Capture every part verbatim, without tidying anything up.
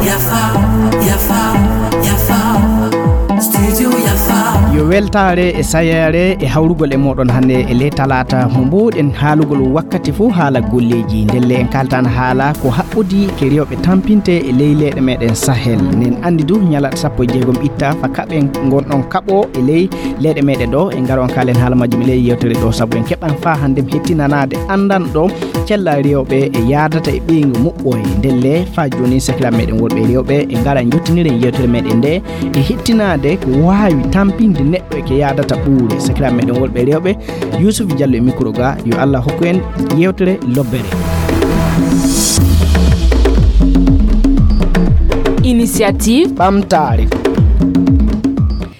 Yafa, yafa, yafa. Studio yafa. Yo weltaare e sayeere e hawrugol e mooɗon hannde e ley talaata mo mbuuɗen haalugol wakkati fof haala golleeji. Ndelle en kaaltan haala ko haɓɓodi ke rewɓe tampinte e ley leyɗe meɗen Sahel. Nen anndi du ñalaɗe sappo e jeegom itta fa kaɓen ngonɗon kaɓo e ley leyɗe meɗen ɗo. En ngara on kaalen haala majjum e ley yewtere ɗo sabu en keɓan faa hannde hettinanaade anndanɗo cella rewɓe e yaadata e ɓeyngu muɓɓoye. Ndelle faa jooni sakiraaɓe meɗen worɓe e rewɓe e ngara jottiniren yewtere meɗen nde e hettinaade ko waawi tampinde neɗɗo e ke yaadata ɓuure. Sakiraaɓe meɗen worɓe e rewɓe, Yuusuf Jallo e micro ga, yo Allah hokku en yewtere lobbere. Initiative ɓamtaare.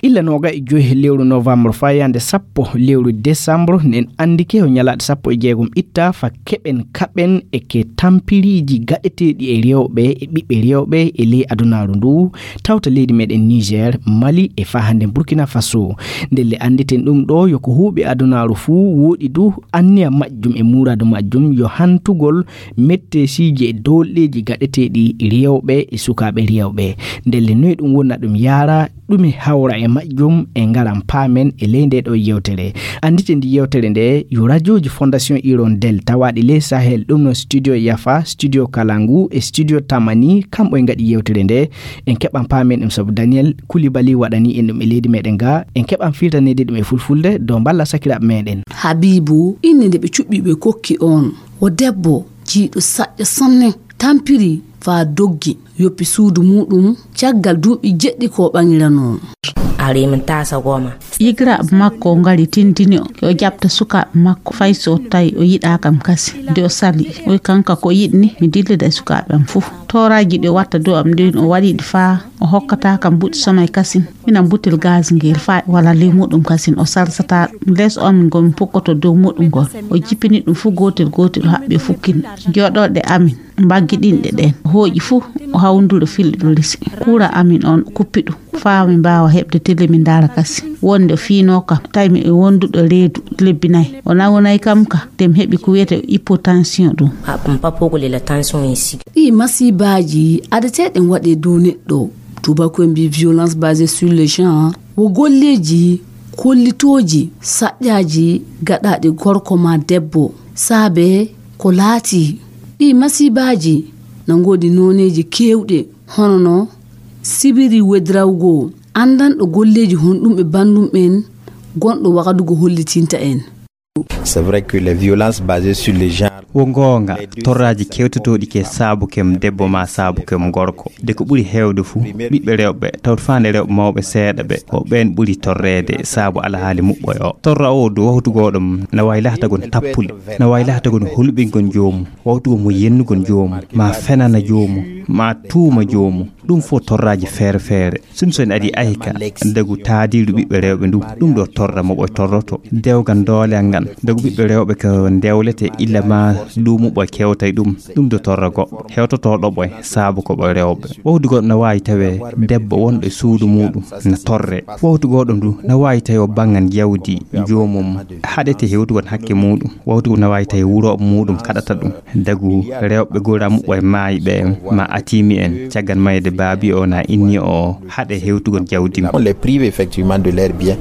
Illa nooga e joyi lewru novembre fayande sappo lewru décembre, nen anndike o ñalaaɗe sappo e jeegom itta fa keɓen kaɓen e ke tampiriiji gaɗeteeɗi e rewɓe e ɓiɓɓe rewɓe e ley adunaaru ndu, tawta leydi meɗen Niger, Mali e faa hannde Burkina Faso. Ndelle annditen ɗum ɗo yo ko huuɓi adunaaru fuu wooɗi du anniya majjum e muuraadu majjum yo hantugol mettesiiji e doolɗeeji gaɗeteeɗi rewɓe e sukaaɓe rewɓe. Ndelle noy ɗum wonna ɗum yaara, ɗume hawra e majjum e ngaran paamen e ley nde ɗo yewtere. Anndite ndi yewtere nde yo rajooji Fondation Hirondelle tawaaɗi ley Sahel, ɗum no Studio Yafa, Studio Kalangu e Studio Tamani, kamɓe ngaɗi yewtere nde. En keɓan paamen ɗum sabu Daniel Koulibaly waɗani en ɗum e leydi meɗen ga. En keɓan firtaneede ɗum e fulfulde dow mballa sakiraaɓe meɗen. Habibu, innde nde ɓe cuɓɓi ɓe kokki on, o debbo jiiɗo saƴƴa sanne, tampiri faa doggi, yoppi suudu muuɗum caggal duuɓi jeɗɗi ko ɓaŋiranoo. Ari min taasa goma. Yigiraaɓe makko o ngari tindini o, yo jaɓta sukaaɓe makko, fay so tawi o yiɗaa kam kasi. Nde o sali, o wi kanka ko yiɗi ni, mi dillida e sukaaɓe am fof. Tooraaji ɗi o watta dow am ɗin, o waɗi ɗi faa o hokkata kam buɗi sono e kasin. Minan butel gaz ngel faa wala ley muɗum kasin, o salsata ɗum. Les o amin ngol mi pukkoto dow muɗum ngol. O jippini ɗum fof gootel gootel, o haɓɓi o fukkini. Jooɗorɗe amin mbaggi ɗinɗe ɗen. O hooƴi fof, o hawnduri o filli ɗum lesi. Kuura amin on kuppi ɗum. Faa min mbaawa heɓde télé min ndaara kasi. Wonde o fiinoo kam, tawi mi e wonduɗo reedu lebbi nayi. O nawnay kam ka, nde mi heɓi ko wiyetee hypotension ɗum. Haɓɓum papogol e la tension en sigi. Ɗii masiibaaji adeteeɗen waɗee dow neɗɗo. Tuubaaku en mbii violence basée sur le genre. Wo golleeji kollitooji saƴƴaaji gaɗaaɗi gorko maa debbo. Saabe ko laatii. Ɗii masiibaaji na ngoodi nooneeji keewɗe, hono no Sibiri Wedrawgo, anndanɗo golleeji honɗum e banndum en, gonɗo Wagadugu hollitinta en. C'est vrai que les violences basées sur les genres. Wo goonga, torraaji kewtotooɗi ke saabu kem debbo maa saabu kem gorko. De ko ɓuri heewde fuu, ɓiɓɓe rewɓe, tawde faande rewɓe mawɓe seeɗa ɓe, ko ɓeen ɓuri torreede saabu alhaali muɓɓoy o. Torra o du wawtu gooɗo mum, na waawi lahtagol tappule, na waawi lahtagol hulɓingol joomum, wawtu mo yennugol joomum, maa fenana joomum, maa tuuma joomum. Ɗum fof torraaji feere feere. Sinno so en adii ayka, dagu taadiiru ɓiɓɓe rewɓe ndu, ɗum ɗo torra mo ɓoy torroto. Dewgal dooleyal ngal, dagu ɓiɓɓe rewɓe ko ndewlete illa ma duumu ɓoy kewtay ɗum, ɗum ɗo torra goɗɗo. Hewtotooɗo ɓoy, saabu ko ɓoy rewɓe. Wawtu goɗɗo na waawi tawee debbo wonɗo e suudu muuɗum na torre. Wawtu goɗɗo ndu na waawi tawee o banngan jawdi joomum, haɗete hewtugol hakke muuɗum. Wawtu na waawi tawee wurooɓe muuɗum kaɗata ɗum. Dagu rewɓe gora muɓɓoy maayi ɓe ma atimi en, caggal mayde baabi o na inni o haɗe hewtugol jawdi mum. On les prive effectivement de leur bien.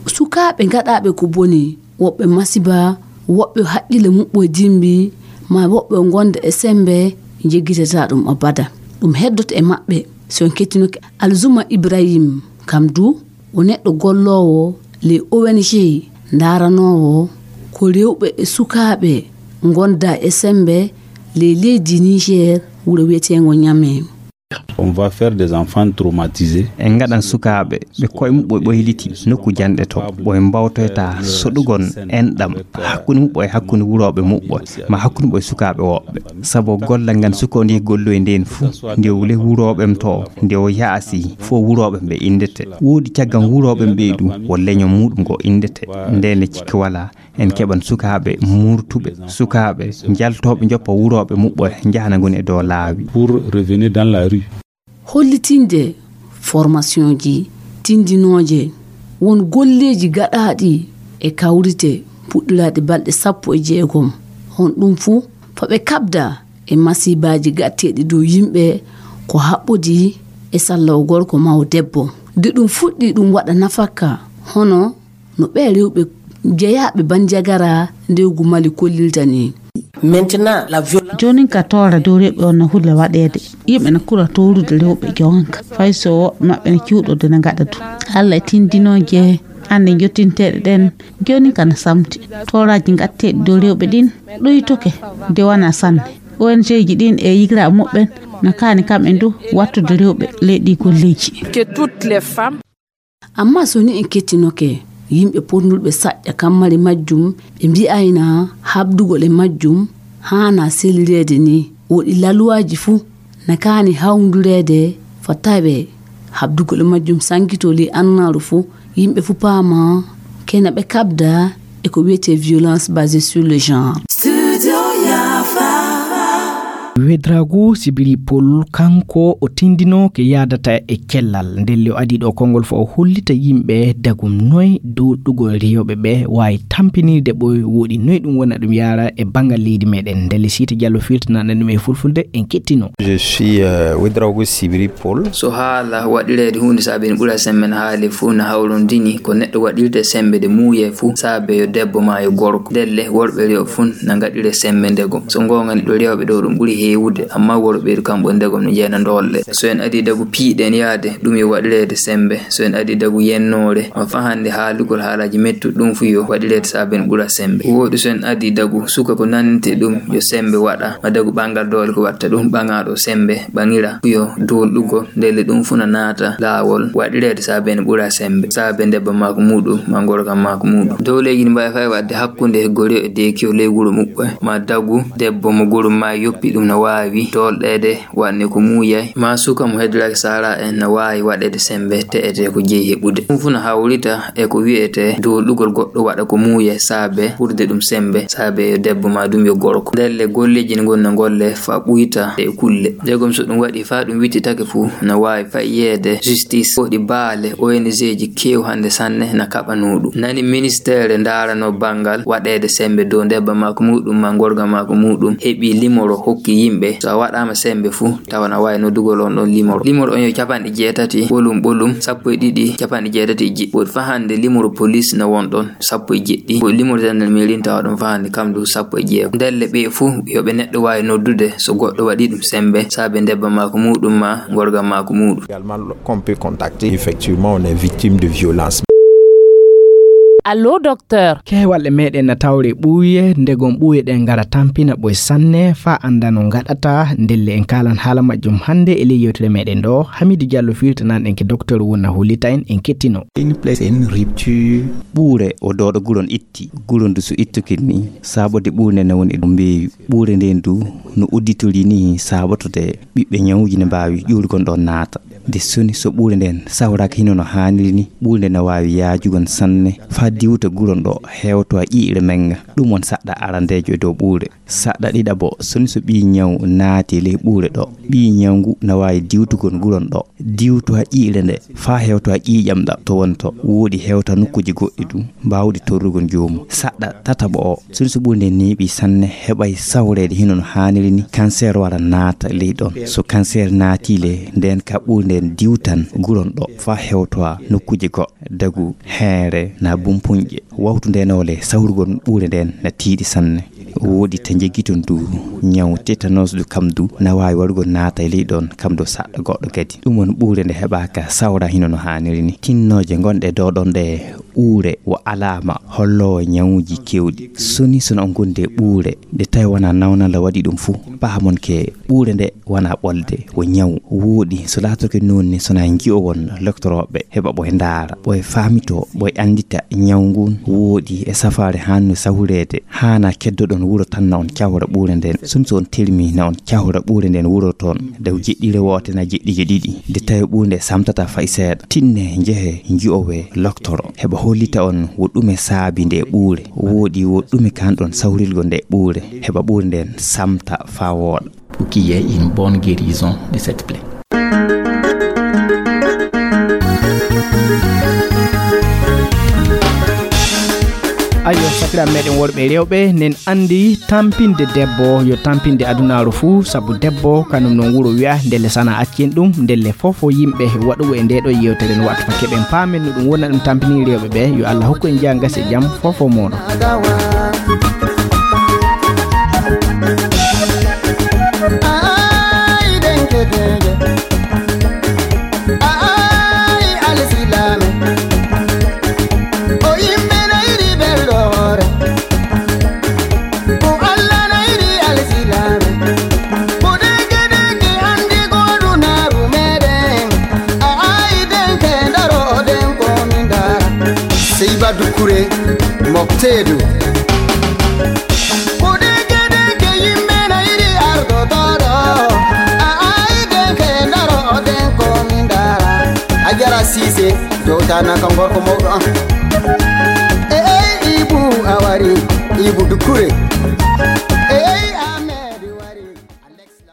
Sukaaɓe gaɗaaɓe ko boni, woɓɓe masiba, woɓɓe haqqille muɓɓoy dimbi, ma woɓɓe o gonda e sembe, jeggitata ɗum abada. Ɗum heddoto e maɓɓe. So en kettinoke Alzuma Ibrahim, kam du o neɗɗo golloowo ley O N G, ndaaranoowo ko rewɓe e sukaaɓe ngonda e sembe ley leydi Niger, wuro wiyeteengo Niamey. On va faire des enfants traumatisés. En ngaɗan sukaaɓe ɓe koye muɓɓoy ɓoyliti nokku janɗe to, ɓoy mbawtoyta soɗugol enɗam hakkunde muɓɓoy e hakkunde wurooɓe muɓɓoy, ma hakkunde ɓoy sukaaɓe woɓɓe. Sabu gollal ngal suka ndi golloy nden fuu, nde o le wurooɓe m to, nde o yaasi fof wurooɓe m ɓe inndete. Woodi caggal wurooɓe m ɓe ɗum, wo leñol muɗum ngo inndete. Ndeen le cikki walaa, en keɓan sukaaɓe murtuɓe, sukaaɓe njaltooɓe njoppa wurooɓe muɓɓoy njahana ngoni e dow laawi. Pour revenir dans la rue. Hollitinde formationji tindinooje, won golleeji gaɗaaɗi e kawrite puɗɗiraaɗi balɗe sappo e jeegom, On ɗum fuu, fa ɓe kaɓda e masiibaaji gatteeɗi dow yimɓe ko haɓɓodii e sallawo gorko maa o debbo. Nde ɗum fuɗɗii ɗum waɗa nafakka, hono no ɓee rewɓe jeyaaɓe banjagara ndewgu Mali kollirta nii. Maintenant, la violence. Joonin ka toora dow rewɓe on na hulla waɗeede. Yimɓe na kura toorude rewɓe joonin ka. Fay so woɓɓe maɓɓe na cuuɗode na ngaɗa ɗum. Alla e tindinooje hannde jottinteeɗe ɗen, joonin ka na samti. Tooraaji gatteeɗi dow rewɓe ɗin ɗuytoke de wanaa sanne. O N G ji ɗin e yigiraaɓe muɓɓen na kaani kamɓe du wattude rewɓe ley ɗii golleeji. Que toutes les femmes. Ammaa so ni en kettinoke yimɓe potnulɓe saƴƴa kammari majjum, ɓe mbi'ayna haɓdugol e majjum haanaa selireede ni. Woɗi laluwaaji fuu na kaani hawndureede fa tawee haɓdugol e majjum sankitoo ley annaaru fuu. Yimɓe fuu paama kena ɓe kaɓda e ko wi'etee violence basée sur le genre. Studio Yafa. Wedrago Sibiri Pol, kanko o tindinoo ke yaadata e cellal. Ndelle o adii ɗo konngol fo o hollita yimɓe dagum noy doolɗugol rewɓe ɓe waawi tampinirde ɓoy woɗi noy ɗum wona ɗum yaara e banngal leydi meɗen. Ndelle Siita Jallo firtinana ɗum e fulfulde en kettino. Je suis, euh, Wedrago Sibiri Pol. So haala waɗireede huunde saabe ene ɓura sembe na haali fuu na hawrondini ko neɗɗo waɗirte sembe de muuye fuu saabe yo debbo maa yo gorko. Ndelle worɓe rewɓe fuu na ngaɗire sembe ndegom. So ngoonga neɗɗo rewɓe ɗo ɗum ɓuri heewude, amma worɓe ɓeydu kamɓe ndegom no jeena ndolle. So en adii dagu piiɗen yaade, ɗum yo waɗireede sembe. So en adii dagu yennoore, ma fahande haalugol haalaaji mettuɗi ɗum fuu yo waɗireede saabe ene ɓura sembe. Woɗi so en adii dagu suka ko nannete ɗum yo sembe waɗa, ma dagu ɓangal doole ko watta ɗum ɓaŋaaɗo sembe ɓaŋira fuu yo doolɗugol. Ndelle ɗum fuu na naata laawol waɗireede saabe ene ɓura sembe, saabe ndebba maako muuɗum, ma ngorga maako muuɗum. Dowleeji ne mbaawi fay waɗde hakkunde goriyo e deekiyo ley wuro muɓɓe, ma dagu debbo mo goro maa yoppi ɗum no waawi doolɗeede waɗne ko muuyay, ma suka mo heddoraki saara en no waawi waɗeede sembe te'ete ko jeyi heɓude. Ɗum fuu no hawrita e ko wi'etee doolɗugol goɗɗo waɗa ko muuyay saabe ɓurde ɗum sembe, saabe yo debbo ma ɗum yo gorko. Ndelle golleeji ne ngoni no ngolle faa ɓuyta e kulle. Ndegom so ɗum waɗi faa ɗum wittitake fuu, no waawi fay yeede justice. Woɗi baale O N G ji keew hannde sanne na kaɓanoo ɗum. Nani ministeere ndaarano banngal waɗeede sembe dow ndebba maako muuɗum ma ngorga maako muuɗum heɓi limoro hokki yimɓe. So a waɗaama sembe fuu, tawa na waawi noddugol on ɗon limoro. Limoro on yo capanɗe jeetati ɓolum ɓolum, sappo e ɗiɗi, capanɗe jeetati e jeɗɗi. Woɗi faa hannde limoro police na won ɗon, sappo e jeɗɗi. Woɗi limoro gendarmerie tawa ɗon faa hannde kam du sappo e jeego. Ndelle ɓe fuu yo ɓe neɗɗo waawi noddude so goɗɗo waɗi ɗum sembe, saabe ndebba maako muuɗum ma ngorga maako muuɗum. Également, qu'on peut contacter. Effectivement, on est victime de violence. Allo, docteur. Keewal e meɗen na tawre ɓuuye, ndegom ɓuuye ɗen ngara tampina ɓoy sanne, faa annda no ngaɗata. Ndelle en kaalan haala majjum hannde e ley yewtere meɗen ɗo. Hamidu Jallo firtanan en ke docteur wonna hollita en, en kettino. Une plaie, c'est une rupture. Ɓuure o dooɗo guron itti. Guron du so ittukin ni, saabode ɓuure nden ne woni e dow mbeeyu. Ɓuure nden du no udditori ni saabotode ɓiɓɓe ñawuji ne mbaawi ƴuurgon ɗon naata. Nde soni so ɓuure nden sawraaka hino no haaniri ni, ɓuure nden ne waawi yaajugon sanne faa diwta guron ɗo hewtowa ƴiiƴre menga. Ɗum won saɗɗa arandeejo e dow ɓuure. Saɗɗa ɗiɗaɓo, soni so ɓii ñaw naati ley ɓuure ɗo, ɓii ñaw ngu na waawi diwtugol guron ɗo, diwtowa ƴiiƴre nde faa hewtowa ƴiiƴam ɗam to wonto, woɗi hewta nokkuuji goɗɗi du mbaawɗi torrugol joomum. Saɗɗa tataɓo o, soni so ɓuure nden neeɓii sanne, heɓay sawreede hino no haaniri ni, kanseer wara naata ley ɗon. So kanseer naatii le, nden ka ɓuure nden diwtan guron ɗo faa hewtowa nokkuuji goɗɗi, dagu, heere, na bumpuñƴe. Wawtu nden o le sawrugol ɓuure nden na tiiɗi sanne. Woɗi ta jeggi ton du ñaw tétanos du kam du na waawi warugol naata e ley ɗon kam du saɗɗa goɗɗo kadi. Ɗum won ɓuure nde heɓaaka sawra hino no haaniri ni. Tinnooje ngonɗe dow ɗon ɗe ɓuure wo alaama holloowo ñawuji kewɗi. Soni sono on gondi e ɓuure nde tawi wona nawnala waɗi ɗum fuu, pahamon ke ɓuure nde wona ɓolde, wo ñaw. Woɗi so laatoke noon ni sona nji'owon loktorooɓe heɓa ɓoye ndaara, ɓoye faamitoo, ɓoye anndita ñaw ngun. Woɗi e safaare haanno sawreede, haana keddoɗon wuro tan na on cawra ɓuure nden. Soni so on termi na on cawra ɓuure nden wuro toon, daw jeɗɗire woote na jeɗɗije ɗiɗi. Nde tawi ɓuure nde samtata fay seeɗa. Tinne njehe nji'owe loktoro, heɓa hollita on wo ɗume saabi nde ɓuure. Woɗi wo ɗume kanɗon sawrilgo nde ɓuure, heɓa ɓuure nden samta faa wooɗa. Pour qu'il y ait une bonne guérison de cette plaie. Ayo, sakiraaɓe meɗen worɓe e rewɓe, nen anndi tampinde debbo yo tampinde adunaaru fuu, sabu debbo kanum non wuro wiya ndelle sana accen ɗum, ndelle fof o yimɓe waɗuɓe e nde ɗo yewtere no waɗta fa keɓen paamen no ɗum wona ɗum tampini rewɓe ɓe. Yo Allah hokku en jaa gasi e jam fof o mooɗo. Ay, denke, denke. Ay, alsilaame. O yimɓe na yiɗi belɗo hoore. Ko Allah na yiɗi alsilaame. Ko deke deke anndi ko dunaaru meɗen. A ay denke ndaro den ko min dara. Sey ba dukkure mofteedu. Ko deke deke yimɓe na yiɗi ardotoɗo. A ay denke ndaro den ko min dara. A jara siise. Jowtana kam gorko mawɗo am. E ey Ibu a wari, Ibu Dukure.